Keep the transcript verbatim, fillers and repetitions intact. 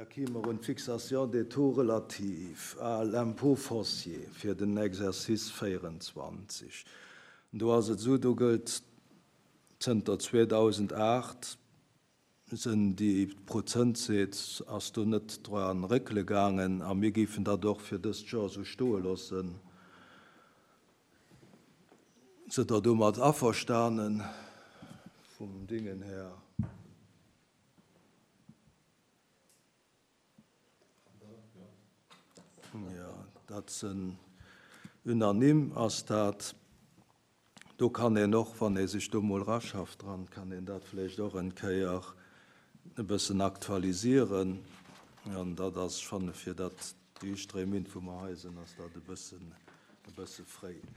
Da kime mer un d'Fixation des taux relatifs à l'impôt foncier fir den Exercice véierenzwanzeg. Do ass et esou, do gëllt zënter zweedausendacht sinn déi Prozentsätz ass do net dran réckele gaangen a mir géifen dat och fir dëst Joer esou stoe loossen. Sidd Der domat averstanen vum Dingen här? Jo, dat sinn unanime ass dat. Do kann een och, wann ee sech do mol eraschafft dran, kann een dat vläicht och en Kéier e bëssen aktualisieren. An dat ass schonn, fir dat déi éischt dräi Minutt, wou mer hei sinn, ass dat e bëssen, e bësse fréi.